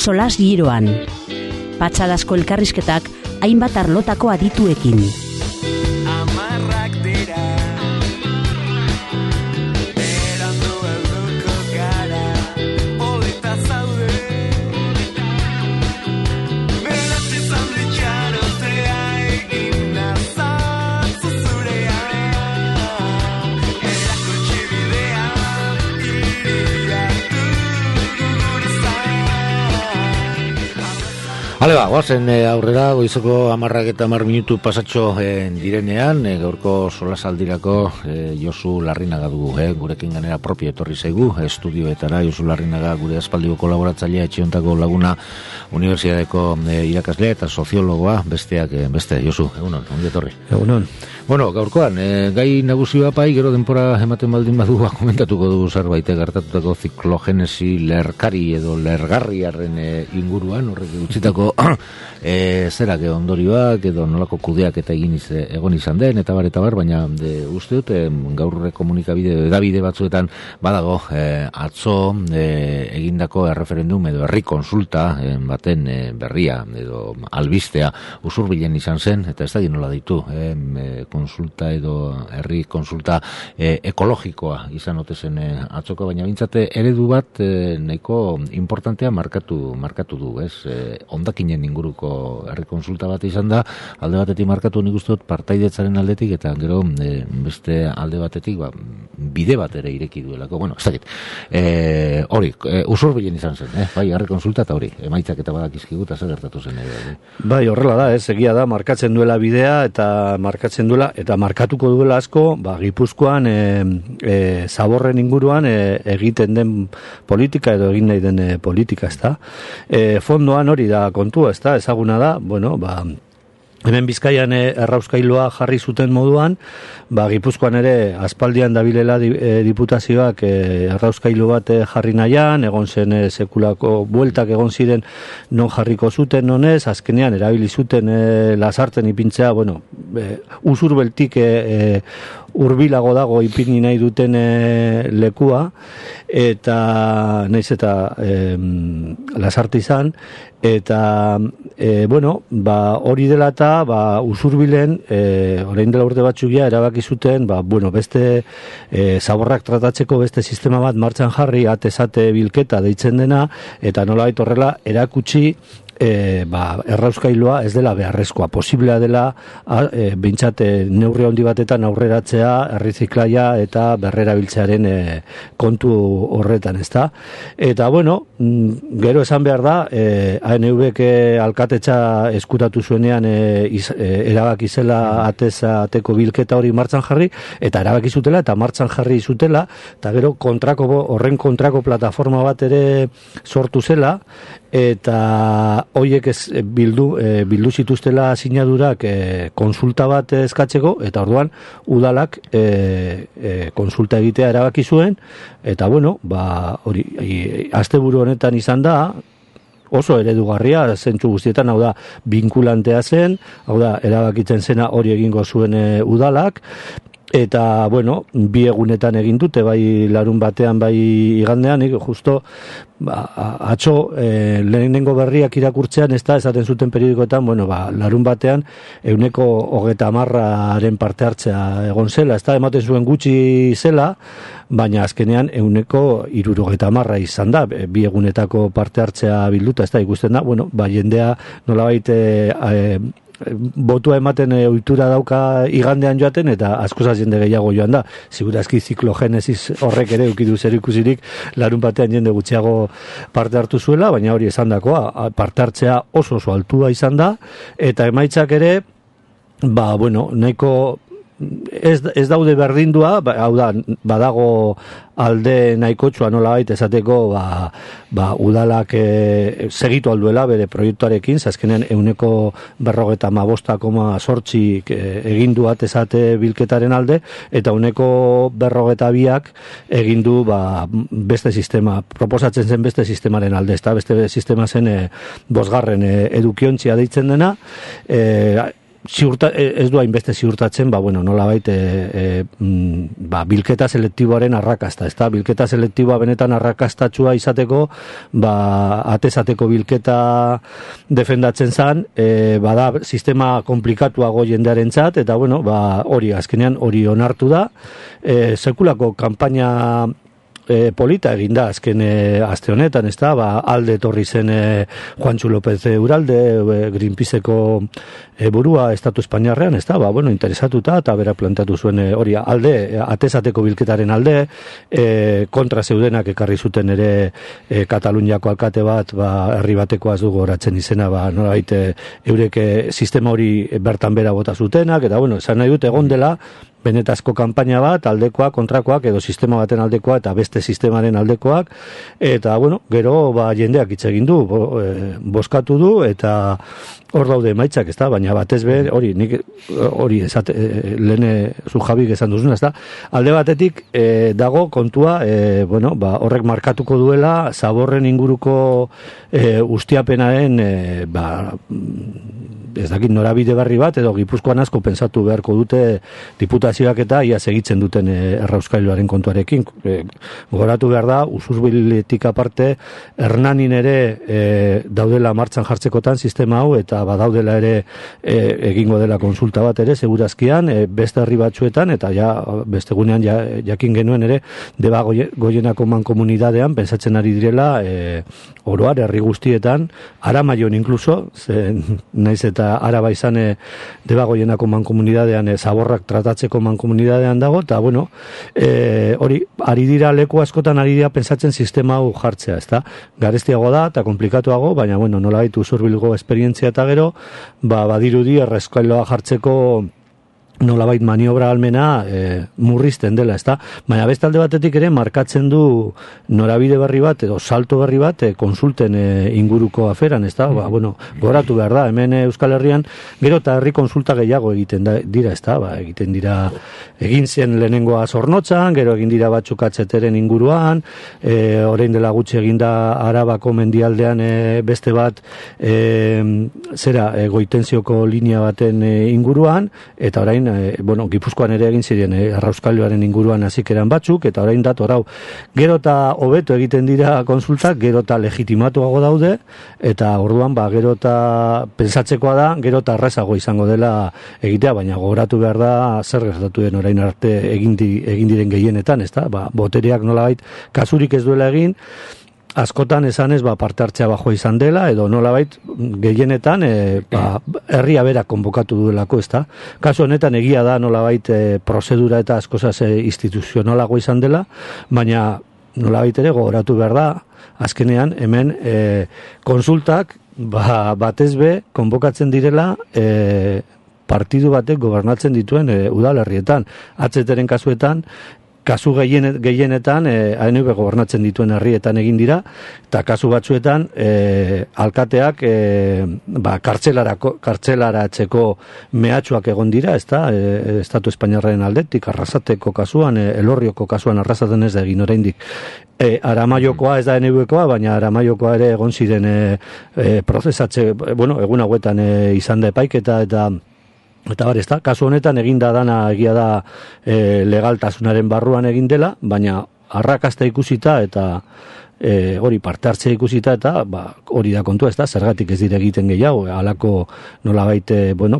solas giroan. Patxadasko elkarrizketak hainbat arlotako adituekin. Hale ba, guazen aurrera, goizeko 10:10 pasatxo direnean, gaurko solasaldirako Josu Larrinaga dugu, gurekin ganera propio etorri zaigu, estudioetara Josu Larrinaga gure aspaldiko kolaboratzailea, etxiontako laguna, unibertsitateko irakaslea eta soziologoa, beste, Josu, egunon, ongi etorri. Egunon. Bueno, gaurkoan, gai nagusia pai, gero denpora ematen baldin badu, komentatuko dugu zerbait gertatutako ziklogenesi lerkari edo lergarriaren inguruan, horrek utzitako zerak ondorioak edo nolako kudeak eta egon izan den, eta bar, baina uste dut, gaur komunikabide edabide batzuetan badago atzo egindako erreferendum edo herri konsulta baten berria edo albistea usurbilen izan zen, eta ez da nola ditu, konsulta edo herri konsulta ekologikoa izan otezen atzoko, baina bintzate eredu bat nahiko importantea markatu du, ez? Ondakinen inguruko herri konsulta bat izan da, alde batetik markatu nik uste dut partaidetzaren aldetik, eta gero beste alde batetik bide bat ere ireki duelako, bueno, ez dakit. Hori, usurbilen izan zen, bai, herri konsulta eta hori, emaitzak eta badakizkigu eta zer gertatu zen ere. Bai, horrela da, egia da, markatzen duela bidea eta markatzen duela, eta markatuko duela asko, Gipuzkoan zaborren inguruan egiten den politika edo egin nahi den politika, ez da. Fondoan hori da kontua, ez da, ezaguna da, bueno, hemen Bizkaian errauskailoa jarri zuten moduan, Gipuzkoan ere aspaldian dabilela diputazioak errauskailu bat jarri nahian, egon zen sekulako bueltak egon ziren non jarriko zuten nonez, azkenean erabili zuten lasarten ipintzea, bueno, usurbeltik urbilago dago ipini nahi duten lekua, eta naiz eta lasarte izan, eta bueno, hori dela eta usurbilen orain dela urte batzugia erabaki zuten, bueno, beste zaborrak tratatzeko beste sistema bat martxan jarri, atezate bilketa deitzen dena, eta nolabait horrela erakutsi errauskailoa ez dela beharrezkoa, posiblea dela behintzat neurri handi batetan aurreratzea erriziklaia eta berrerabiltzearen kontu horretan, ezta? Eta bueno, gero esan behar da, ANV-ek alkatetza eskutatu zuenean erabaki zela ateko bilketa hori martxan jarri, eta erabaki zutela eta martxan jarri zutela, eta gero horren kontrako plataforma bat ere sortu zela, eta hoiek bildu zituztela sinadurak konsulta bat eskatzeko, eta orduan udalak konsulta egitea erabaki zuen, eta bueno, hori asteburu honetan izan da, oso eredugarria, zentzu guztietan, hau da, binkulantea zen, hau da, erabakitzen zena hori egingo zuen udalak, eta, bueno, 2 egunetan egin dute, bai larun batean, bai igandean, justo, atzo, lehenengo berriak irakurtzean, ez da, esaten zuten periodikoetan, bueno, larun batean, 110%aren parte hartzea egon zela, ez da, ematen zuen gutxi zela, baina azkenean 160% izan da, 2 egunetako parte hartzea bilduta, ez da, ikusten da, bueno, jendea nolabait botua ematen ohitura dauka igandean joaten, eta askoz jende gehiago joan da. Segurazki ziklogenesis horrek ere ukidu zerikusirik larun batean jende gutxiago parte hartu zuela, baina hori esandakoa, parte hartzea oso altua izan da, eta emaitzak ere, bueno, nahiko ez daude berdindua, hau da, badago alde nahikotsua nolabait esateko udalak segitu alduela bere proiektuarekin, azkenean 155,8 egin du atezate bilketaren alde, eta 152 egin du beste sistema, proposatzen zen beste sistemaren alde, beste sistema zen 5. edukiontzia deitzen dena, ez du hainbeste ziurtatzen, nolabait bilketa selektiboaren arrakasta, ezta? Bilketa selektiboa benetan arrakastatxua izateko, atezateko bilketa defendatzen zan, bada sistema komplikatuago jendearentzat, eta hori azkenean hori onartu da, sekulako kanpaina polita eginda azken aste honetan, ezta? Alde etorri zen Juantxu López Uralde, Greenpeaceko burua Estatu Espainiarrean, ezta? Interesatuta eta bera planteatu zuen hori alde, atezateko bilketaren alde, kontra zeudenak ekarri zuten ere Kataluniako alkate bat, herri batekoaz dugu horatzen izena, nolabait eurek sistema hori bertan bera bota zutenak, eta esan nahi dut egon dela benetazko kanpaina bat, aldekoak, kontrakoak, edo sistema baten aldekoa, eta beste sistemaren aldekoak, eta, gero, jendeak hitz egin du, bozkatu du, eta hor daude emaitzak, ezta, baina batez be, hori lehen zu Jabik esan duzuna, ezta, alde batetik dago kontua, horrek markatuko duela, Zaborren inguruko ustiapenaren, ez dakit norabide berri bat, edo Gipuzkoan asko pensatu beharko dute diputazioak eta ia segitzen duten errauskailuaren kontuarekin. Gogoratu behar da, Usurbiletik aparte, Hernanin ere daudela martxan jartzekotan sistema hau, eta badaudela ere egingo dela konsulta bat ere, segurazkian, beste herri batzuetan, eta beste gunean jakin genuen ere, Deba Goienako mankomunidadean, pensatzen ari direla, oroar, herri guztietan, Aramaion inkluso, naiz eta Araba izan Deba Goienako mankomunidadean, Zaborrak tratatzeko mankomunidadean dago, eta hori, ari dira leku askotan ari dira pensatzen sistema hau jartzea, ezta? Garestiago da, eta komplikatuago, baina, nolabait Usurbilgo esperientzia eta gero, badirudi errauskailoa jartzeko nolabait maniobra almena murrizten dela, ezta? Baina beste alde batetik ere markatzen du norabide berri bat edo salto berri bat konsulten inguruko aferan, ezta? Goratu behar da, hemen Euskal Herrian gero eta herri konsulta gehiago egiten dira, ezta? Egin zen lehenengoa Zornotzan, gero egin dira batzuk atzeteren inguruan, orain dela gutxi eginda Arabako mendialdean beste bat Goitenzioko linea baten inguruan, eta orain Gipuzkoan ere egin ziren errauskailuaren inguruan hasikeran batzuk, eta orain dator hau. Gero eta hobeto egiten dira konsultak, gero eta legitimatuago daude, eta orduan gero eta pensatzekoa da, gero eta errazago izango dela egitea, baina gogoratu behar da zer gertatu den orain arte egin diren gehienetan, ezta? Botereak nolabait kasurik ez duela egin, askotan esanez parte hartzea bajoa izan dela, edo nolabait gehienetan herria bera konbokatu duelako, ezta? Kasu honetan egia da nolabait prozedura eta askozaz instituzionalago izan dela, baina nolabait ere gogoratu behar da, azkenean hemen konsultak batez be konbokatzen direla partidu batek gobernatzen dituen udalerrietan. Atzeteren kasuetan, kasu gehienetan ANV gobernatzen dituen herrietan egin dira, eta kasu batzuetan alkateak kartzelaratzeko mehatxuak egon dira, ezta? Estatu Espainiarraren aldetik, Arrasateko kasuan, Elorrioko kasuan Arrasaten ez da egin oraindik. Aramaiokoa ez da ANV-koa, baina Aramaiokoa ere egon ziren prozesatze, egun hauetan izan da epaiketa eta ezta, kasu honetan eginda dana egia da legaltasunaren barruan egin dela, baina arrakasta ikusita eta hori parte hartzea ikusita eta hori da kontua, ezta, zergatik ez dira egiten gehiago, halako nolabait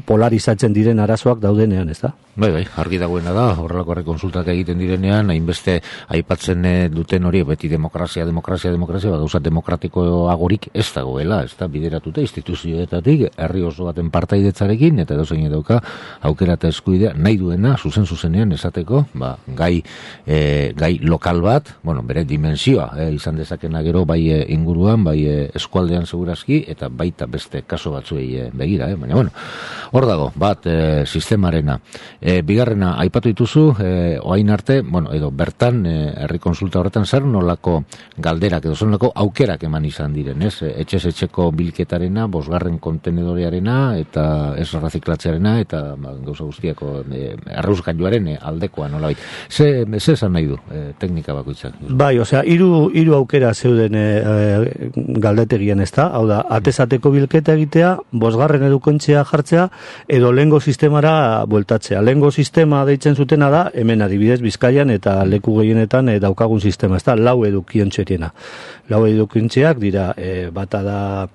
polarizatzen diren arazoak daudenean, ezta? Bai, argi dagoena da, horrelako konsultak egiten direnean, hainbeste aipatzen duten hori, beti demokrazia, gauza demokratikoagorik ez dagoela, ez da, bideratuta instituzioetatik, herri oso baten partaidetzarekin, eta dozein dauka, aukera eta eskubidea, nahi duena, zuzenean esateko, gai lokal bat, bere dimensioa, izan dezakena gero, bai inguruan, bai eskualdean segurazki, eta baita beste kaso batzuei begira, baina, hor dago, bat sistemarena. Bigarrena, aipatu dituzu, oain arte, edo bertan, herri konsulta horretan zer nolako galderak, edo zer nolako aukerak eman izan diren, ez? Etxez-etxeko bilketarena, 5. kontenedorearena, eta ez raziklatzearena, eta gauza guztiako errauskailuaren aldekoa nolabait. Ze esan nahi du, teknika bakoitzak? Bai, hiru aukera zeuden galdetegian, ez da? Hau da, atezateko bilketa egitea, 5. edukontzia jartzea, edo lehengo sistemara bueltatzea. Lehengo sistema deitzen zutena da, hemen adibidez Bizkaian eta leku gehienetan daukagun sistema, ez da? 4 edukiontxeriena. 4 edukiontxeak dira, bata da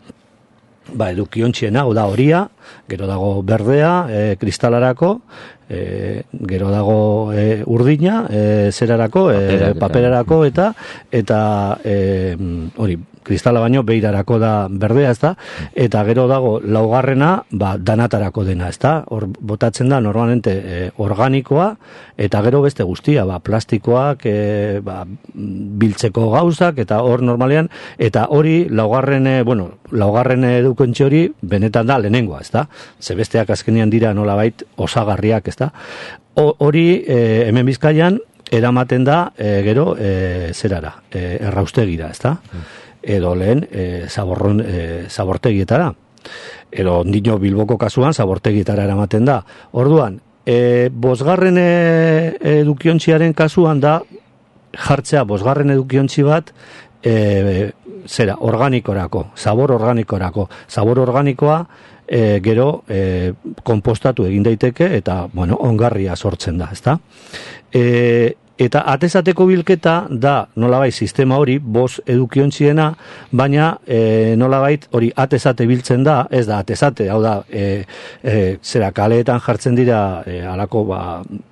edukiontxiena, hau da horia, gero dago berdea, kristalarako, gero dago urdina, zerarako, paperarako, eta hori, kristala baino beirarako da berdea, ez da, eta gero dago 4. Danatarako dena, ez da, hor botatzen da normalmente organikoa, eta gero beste guztia, plastikoak, biltzeko gauzak, eta hor normalean, eta hori 4. edukontxe hori benetan da lehenengoa, ez da, ze besteak azkenean dira nolabait osagarriak, ez da, hori hemen Bizkaian eramaten da gero zerara, erraustegira, ez da, edo lehen zabortegietara, edo ondino Bilboko kasuan zabortegietara eramaten da. Orduan, 5. edukiontziaren kasuan da jartzea 5. edukiontzi bat organikorako, zabor organikoa gero konpostatu egin daiteke eta ongarria sortzen da, ezta? Eta atezateko bilketa da nolabait sistema hori 5 edukiontziena, baina nolabait hori atezate biltzen da, ez da atezate, hau da kaleetan jartzen dira alako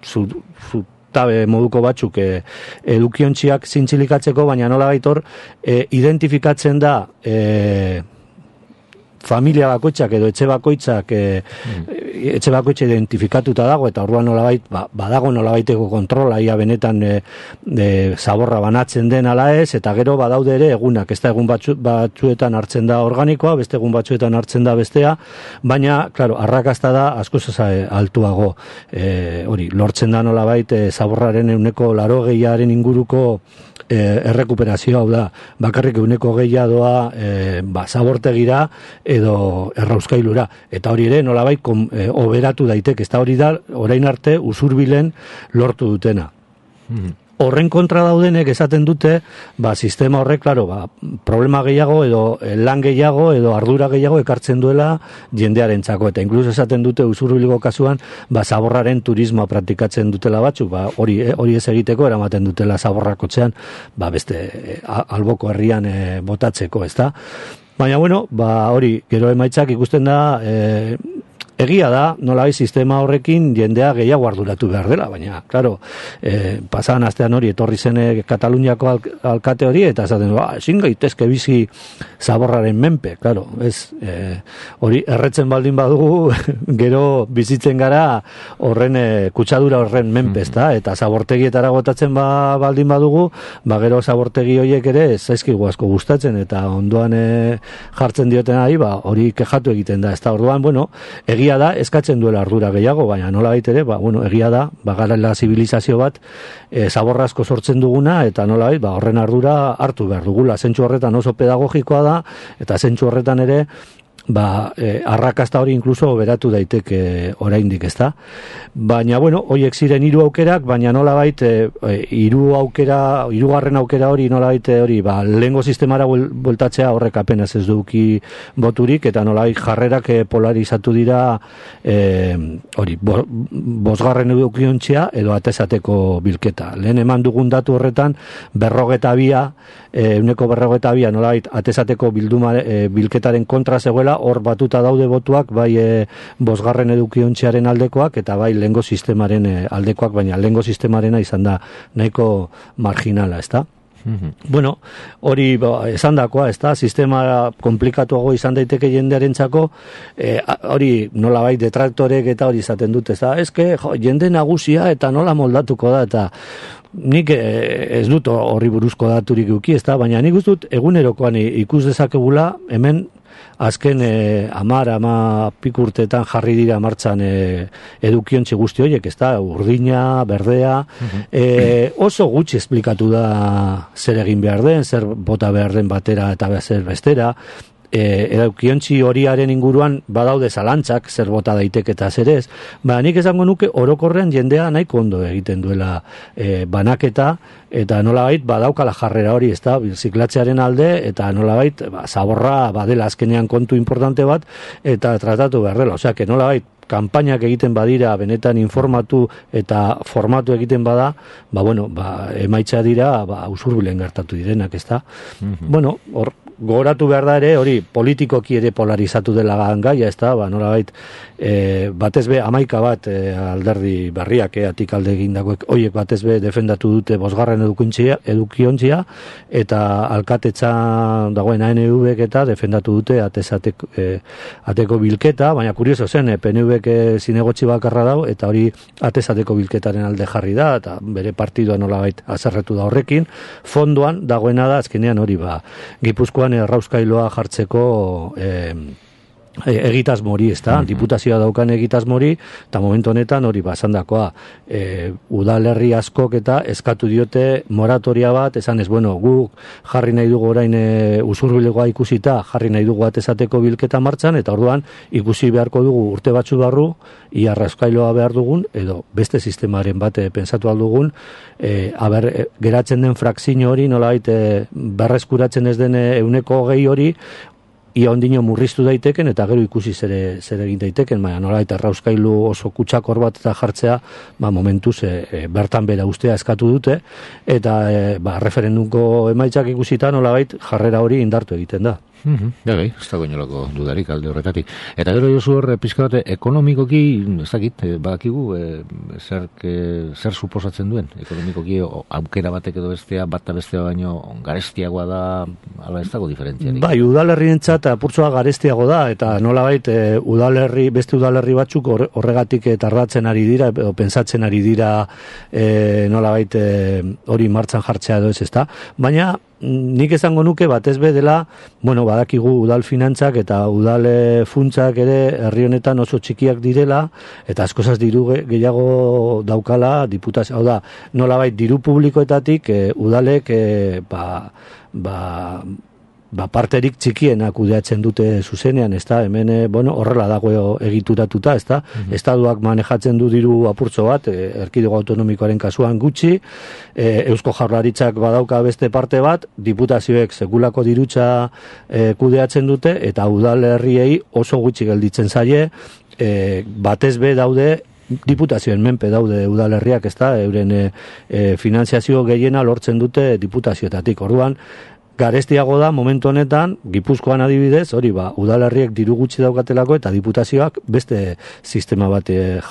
zutabe moduko batzuk edukiontziak zintzilikatzeko, baina nolabait hor identifikatzen da familia bakoitzak edo etxe bakoitzak identifikatuta dago, eta orduan nolabait badago nolabaiteko kontrola ia benetan zaborra banatzen den ala ez, eta gero badaude ere egunak, ez da egun batzuetan hartzen da organikoa, beste egun batzuetan hartzen da bestea, baina claro, arrakasta da askoz altuago, hori lortzen da nolabait zaborraren 80% inguruko errekuperazioa, hau da, bakarrik 1% doa zabortegira edo errauskailura, eta hori ere nolabait oberatu daiteke, ez da hori da orain arte usurbilen lortu dutena. Horren kontra daudenek esaten dute, sistema horrek, claro, problema gehiago edo lan gehiago edo ardura gehiago ekartzen duela jendearentzako, eta inkluso esaten dute usurbilgo kasuan, zaborraren turismoa praktikatzen dutela batzuk, hori ez egiteko eramaten dutela zaborrakotzean, beste alboko herrian botatzeko, ez da? Baina, hori, gero emaitzak ikusten da, egia da, nolabait sistema horrekin jendea gehiago arduratu behar dela, baina, claro, pasadan astean hori etorri zen Kataluniako alkate hori, eta esaten, ezin gaitezke bizi zaborraren menpe, claro, ez, hori erretzen baldin badugu, gero bizitzen gara horren kutsadura horren menpe, ezta, eta zabortegietara gotatzen baldin badugu, gero zabortegi horiek ere ez zaizkigu asko gustatzen, eta ondoan jartzen dioten ari, hori kexatu egiten da, ezta, orduan, egia da, eskatzen duela ardura gehiago, baina nola baitere, egia da, garela zibilizazio bat, zaborrazko sortzen duguna, eta nola bait, horren ardura hartu behar dugula, zentsu horretan oso pedagogikoa da, eta zentsu horretan ere, arrakasta hori inkluso beratu daiteke oraindik, ezta? Baina, horiek ziren 3 aukerak, baina nolabait 3. aukera hori nolabait hori, lehengo sistemara bueltatzea horrek apenas ez duki boturik, eta nolabait jarrerak polarizatu dira hori, 5. edukiontzia edo atezateko bilketa. Lehen eman dugun datu horretan 142 nolabait atezateko bilketaren kontra zegoela, hor batuta daude botuak, bai 5. edukiontziaren aldekoak, eta bai lehengo sistemaren aldekoak, baina lehengo sistemarena izan da nahiko marginala, ezta? Hori esandakoa, ezta? Sistema komplikatuago izan daiteke jendearentzako, hori nolabait detraktorek eta hori izaten dute, ezta? Eske jende nagusia eta nola moldatuko da, eta nik ez dut horri buruzko daturik eduki, ezta? Baina nik dut egunerokoan ikus dezakegula hemen azken 10 pikurtetan jarri dira martxan edukiontzi guzti horiek, ezta, urdina, berdea, oso gutxi esplikatu da zer egin behar den, zer bota behar den batera eta zer bestera, edukiontzi horiaren inguruan badaude zalantzak, zer bota daiteke eta zer ez, nik esango nuke orokorrean jendea nahiko ondo egiten duela banaketa, eta nolabait badaukala jarrera hori, ez da, birziklatzearen alde, eta nolabait zaborra badela azkenean kontu importante bat, eta tratatu beharrela, osea, que nolabait kanpainak egiten badira, benetan informatu eta formatu egiten bada, emaitza dira, usurbilen gertatu direnak, ez da. Bueno, hor, gogoratu behar da ere, hori politikoki ere polarizatu dela gaia, ez da, nolabait, batez be, 11 bat alderdi berriak, atik alde egindakoek, horiek batez be defendatu dute bosgarren edukiontzia, eta alkatetza dagoen ANV-ek eta defendatu dute ateko bilketa, baina kurioso zen, PNV-ek zinegotzi bakarra dau, eta hori atezateko bilketaren alde jarri da, eta bere partidua nolabait azerretu da horrekin, fondoan dagoena da, azkenean hori Gipuzkoan errauskailoa jartzeko egitasmori, ez da, diputazioa daukan egitasmori, eta momentu honetan hori basandakoa, udalerri askok eta eskatu diote moratoria bat, esan ez, guk jarri nahi dugu orain usurbilegoa ikusita, jarri nahi dugu atezateko bilketa martxan, eta orduan ikusi beharko dugu urte batzu barru, ia errauskailoa behar dugun, edo beste sistemaren bat pensatu aldugun, geratzen den frakzio hori, nolabait berreskuratzen ez den 120 hori, ia ondino murriztu daiteken, eta gero ikusi zer egin daiteken, nola eta errauskailu oso kutsakor bat eta jartzea, momentuz bertan bera ustea eskatu dute, eta referendumko emaitzak ikusita nolabait jarrera hori indartu egiten da. Bai, ez dago inolako dudarik alde horretatik. Eta gero jozu hor, pizka bat, ekonomikoki, ez dakit, badakigu, zer suposatzen duen, ekonomikoki aukera batek edo bestea, bata bestea baino garestiagoa da, ala ez dago diferentziarik. Bai, udalerrientzat apurtzoa garestiago da, eta nolabait beste udalerri batzuk horregatik tardatzen ari dira, edo pentsatzen ari dira nolabait hori martxan jartzea edo ez da. Baina, nik esango nuke batez be dela, badakigu udal finantzak eta udal funtsak ere herri honetan oso txikiak direla, eta askozaz diru gehiago daukala diputazio, hau da, nolabait diru publikoetatik udalek parterik txikiena kudeatzen dute zuzenean, ez da, hemen, horrela dago egituratuta, ez da, estaduak manejatzen du diru apurtzo bat, erkidego autonomikoaren kasuan gutxi, Eusko Jaurlaritzak badauka beste parte bat, diputazioek sekulako dirutza kudeatzen dute, eta udalerriei oso gutxi gelditzen zaie, batez be daude, diputazioen menpe daude udalerriak, ez da, euren finanziazio gehiena lortzen dute diputazioetatik, orduan, garestiago da momentu honetan, Gipuzkoan adibidez, hori udalerriek diru gutxi daukatelako eta diputazioak beste sistema bat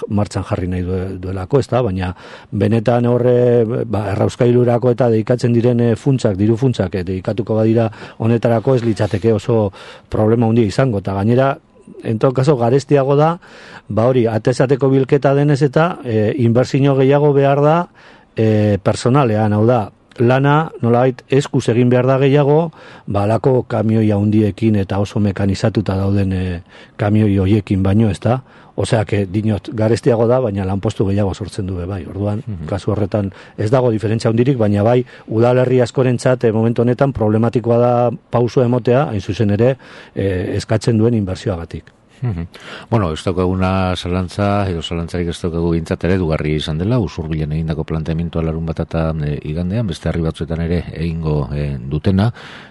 martxan jarri nahi duelako, ez da, baina benetan horre errauskailurako eta dedikatzen diren diru funtsak dedikatuko badira honetarako ez litzateke oso problema handia izango, eta gainera, en todo caso, garestiago da, hori, atezateko bilketa denez eta inbertsio gehiago behar da personalean, hau da, lana, nolabait, eskuz egin behar da gehiago, alako kamioi handiekin eta oso mekanizatuta dauden kamioi hoiekin baino, ez da? Osea, dinot, garestiago da, baina lanpostu gehiago sortzen du, bai. Orduan, kasu horretan ez dago diferentzia handirik, baina bai, udalerri askorentzat momentu honetan problematikoa da pauso emotea, hain zuzen ere, eskatzen duen inbertsioagatik. Ez daukaguna zalantza, edo zalantzarik ez daukagu gintzat ere dugarri izan dela, usurbilen egindako planteamentua larun bat eta igandean, beste herri batzuetan ere egingo dutena,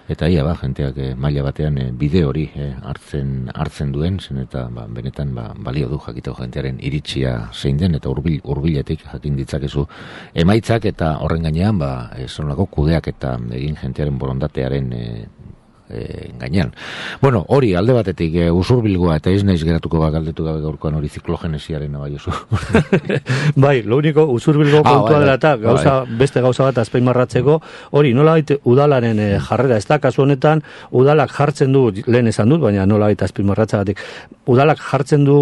eta ia jenteak maila batean bide hori hartzen duen, zen eta benetan balio du jakiteko jentearen iritsia zein den, eta hurbiletik jakin ditzakezu emaitzak, eta horren gainean, zonolako kudeak eta egin jentearen borondatearen gainean. Hori, alde batetik usurbilgoa eta ez naiz geratuko galdetu gabe gaurkoan hori ziklogenesiaren abaiozu. Bai, lo único, usurbilgo kontua dela eta beste gauza bat azpeimarratzeko, hori, nolabait udalaren jarrera, ez da, kasu honetan, udalak jartzen du, lehen esan dut, baina nolabait azpeimarratzagatik, udalak jartzen du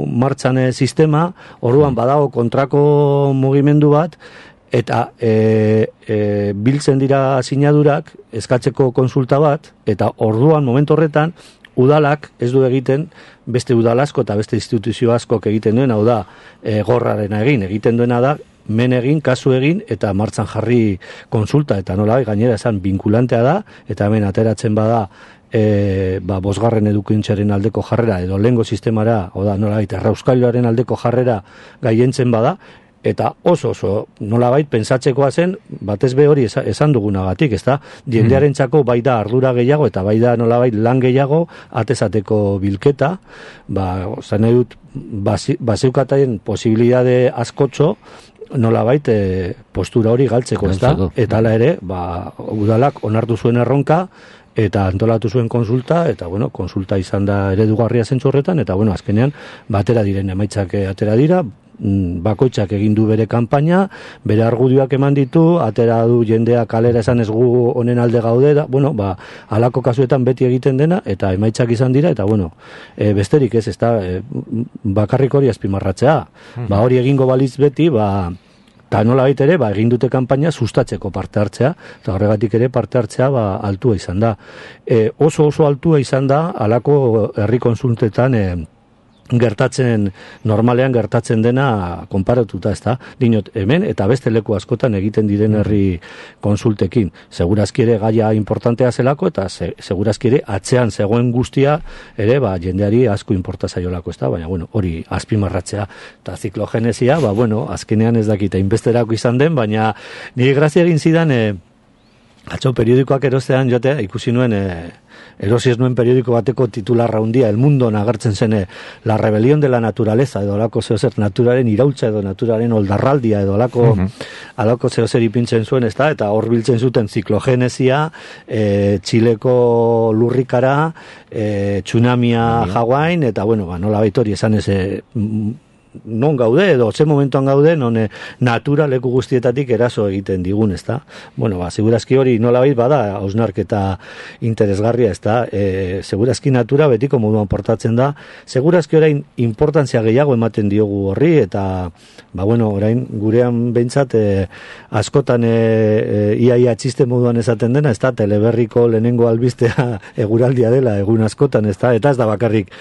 martxan sistema, orduan badago kontrako mugimendu bat, eta biltzen dira sinadurak eskatzeko konsulta bat, eta orduan momentu horretan udalak ez du egiten beste udal asko eta beste instituzio askok egiten duen, hau da gorrarena egiten duena da, men egin, kasu egin, eta martxan jarri konsulta, eta nola gainera esan vinkulantea da, eta hemen ateratzen bada bosgarren edukintzaren aldeko jarrera, edo lehengo sistemara, oda nolabait, errauskailuaren aldeko jarrera gaientzen bada, eta oso nolabait pensatzekoa zen, batez be hori esan dugunagatik, ezta? Jendearentzako bai da ardura gehiago eta bai da nolabait lan gehiago atezateko bilketa, zan edut bazeukataien posibilidade askotxo nolabait postura hori galtzeko, ezta? Eta hala ere, udalak onartu zuen erronka eta antolatu zuen konsulta, eta konsulta izan da eredugarria zentzu horretan, eta azkenean batera diren emaitzak atera dira, bakoitzak egin du bere kanpaina, bere argudioak eman ditu, atera du jendea kalera esan ez gu honen alde gaude, halako kasuetan beti egiten dena, eta emaitzak izan dira, eta besterik ez, bakarrik hori azpimarratzea. Hori egingo balitz beti, eta nola baita ere, egin dute kanpaina sustatzeko parte hartzea, eta horregatik ere parte hartzea altua izan da. Oso altua izan da, halako herri konsultetan normalean gertatzen dena konparatuta, ezta? Dinot, hemen eta beste leku askotan egiten diren herri konsultekin. Segurazki ere gaia importantea zelako, eta segurazki ere atzean zegoen guztia ere, jendeari asko inporta zaiolako, ezta? Baina, hori azpimarratzea. Eta ziklogenesia, azkenean ez dakita inbesterako izan den, baina nire grazia egin zidan, atzo periodikoak erostean jotea, ikusi nuen, erosi ez nuen periodiko bateko titularra hundia, El Mundo agertzen zen, la rebelión de la naturaleza, edo alako zehozer naturaren iraultza, edo naturaren oldarraldia, edo alako zehozer ipintzen zuen, eta hor biltzen zuten ziklogenesia, Txileko lurrikara, tsunamia Hawain, eta nola baitori esan ez, non gaude, edo ze momentuan gaude, non natura leku guztietatik eraso egiten digun, ezta? Segurazki hori nolabait bada hausnarketa interesgarria, ezta? Segurazki natura betiko moduan portatzen da, segurazki orain importantzia gehiago ematen diogu horri, eta, orain gurean behintzat askotan iaia txiste moduan esaten dena, ezta? Teleberriko lehenengo albistea eguraldia dela egun askotan, ezta? Eta ez da bakarrik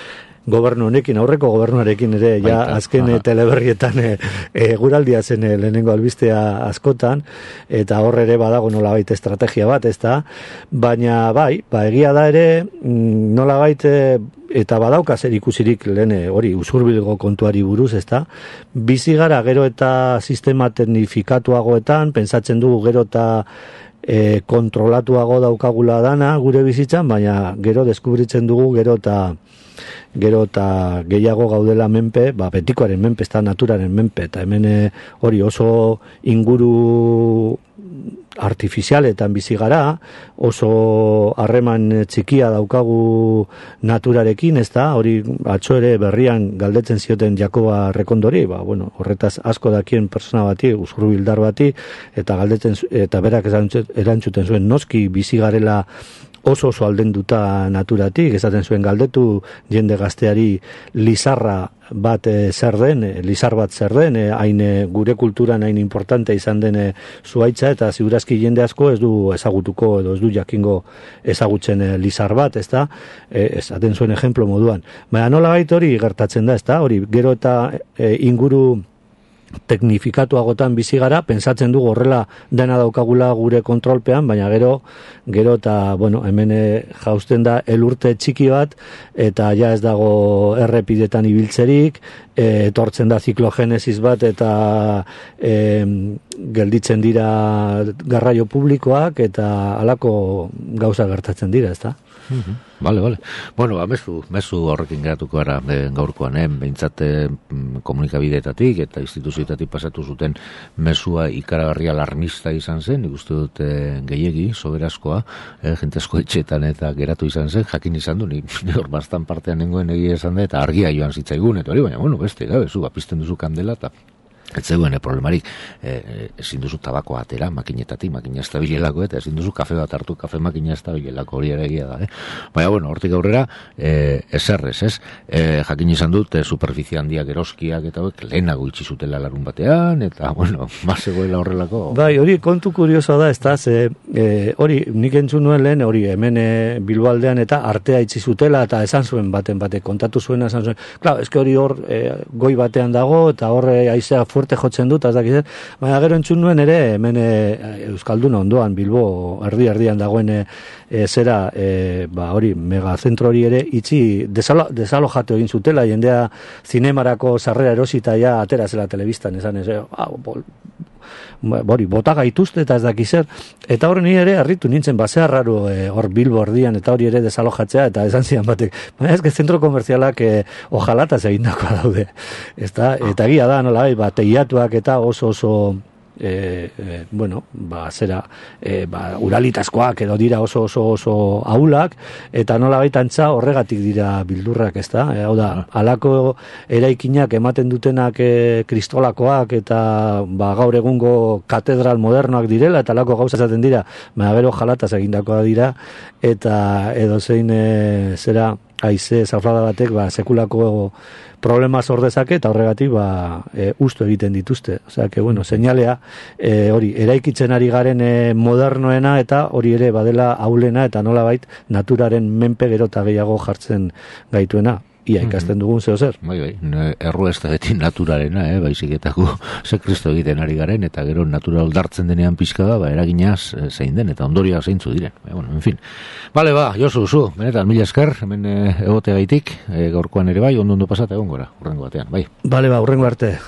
gobernu honekin, aurreko gobernuarekin ere, azken teleberrietan eguraldia zen lehenengo albistea askotan, eta horre ere badago nolabait estrategia bat, ezta? Baina egia da ere, nolabait eta badauka zer ikusirik lehen hori usurbilgo kontuari buruz, ezta? Bizi gara gero eta sistema teknifikatuagoetan, pentsatzen dugu gero eta kontrolatuago daukagula dana gure bizitzan, baina gero deskubritzen dugu gero eta gehiago gaudela menpe, betikoaren menpe, ez da naturaren menpe, eta hemen hori oso inguru artifizialetan bizi gara, oso harreman txikia daukagu naturarekin, ez da, hori atzo ere berrian galdetzen zioten Jakoba Rekondori, horretaz asko dakien persona bati, usurbildar bati, eta galdetzen, eta berak erantzuten zuen, noski bizi garela oso aldenduta naturatik, esaten zuen galdetu jende gazteari lizarra bat zer den, lizar bat zer den, hain gure kulturan hain importante izan den zuaitza, eta ziurazki jende asko ez du ezagutuko edo ez du jakingo ezagutzen lizar bat, ezta? Esaten zuen ejemplo moduan. Baina nola bait hori gertatzen da, ezta? Hori gero eta inguru teknifikatuagotan bizi gara, pentsatzen dugu horrela dena daukagula gure kontrolpean, baina gero eta, hemen jausten da elurte txiki bat, eta ja ez dago errepidetan ibiltzerik, etortzen da ziklogenesis bat, eta gelditzen dira garraio publikoak, eta halako gauza gertatzen dira, ezta? Vale. Mezu horrekin geratuko gara gaurkoan, behintzat komunikabideetatik eta instituzioetatik pasatu zuten mezua ikaragarria alarmista izan zen, nik uste dut gehiegi, soberazkoa, jentesko etxetan eta geratu izan zen, jakin izan du, nik hor bastan partean nengoen egia esan da, eta argia joan zitzaigun, eta hori, baina, beste, zu, apizten duzu kandela, eta ez zegoen problemarik, ezin duzu tabakoa atera makinetatik, makina ez da bilelako, eta ezin duzu kafe bat hartu, kafe makina ez da bilelako, hori ere egia da. Baina, hortik aurrera, eserrez, ez? Jakin izan dut, superficie handiak eroskiak, eta lehenago itxi zutela larun batean, eta, bazegoela horrelako. Hori kontu kurioso da, ez da, hori, nik entzun nuen lehen, hori, hemen Bilboaldean eta artea itxi zutela, eta esan zuen baten kontatu zuena, esan zuen, klar, eske hori hor goi batean dago, eta hor haizea suerte jotzen dut, ez dakit, baina gero entzun nuen ere, hemen Euskalduna ondoan, Bilbo, erdian dagoen zera, hori, megazentro hori ere, itxi, desalojatu egin zutela, jendea zinemarako sarrera erosita ja atera zela telebistan, esan ez, bota gaituzte eta ez daki zer, eta horren ere harritu nintzen, basea raro hor Bilbo erdian, eta hori ere desalojatzea, eta esan zidan batek, baina ez que zentro komerzialak ojalataz egindakoa daude, eta egia da, nola, teiatuak eta oso uralitazkoak edo dira oso ahulak, eta nola baitantza horregatik dira bildurrak, ez da? Hau da, alako eraikinak ematen dutenak kristolakoak eta gaur egungo katedral modernoak direla, eta alako gauza zaten dira, baina gero jalataz egindakoa dira, eta edo zein zera haize zafrada batek sekulako problema sordezake eta horregatik ustu egiten dituzte. Osea, que bueno, seinalea hori eraikitzen ari garen modernoena eta hori ere badela aulena eta nolabait naturaren menpe gero eta gehiago jartzen gaituena. Ia ikasten dugun zeo zer. Bai, erru ez da beti naturalena, baizik-etako ze Kristo egiten ari garen, eta gero natural dartzen denean pixka da, eraginaz zein den, eta ondorioa zeintzu diren. En fin. Bale, Josu, benetan, mila esker, hemen egote gaitik, gaurkoan ere bai, ondo pasata egon gora, urrengo batean, bai. Bale, urrengo arte.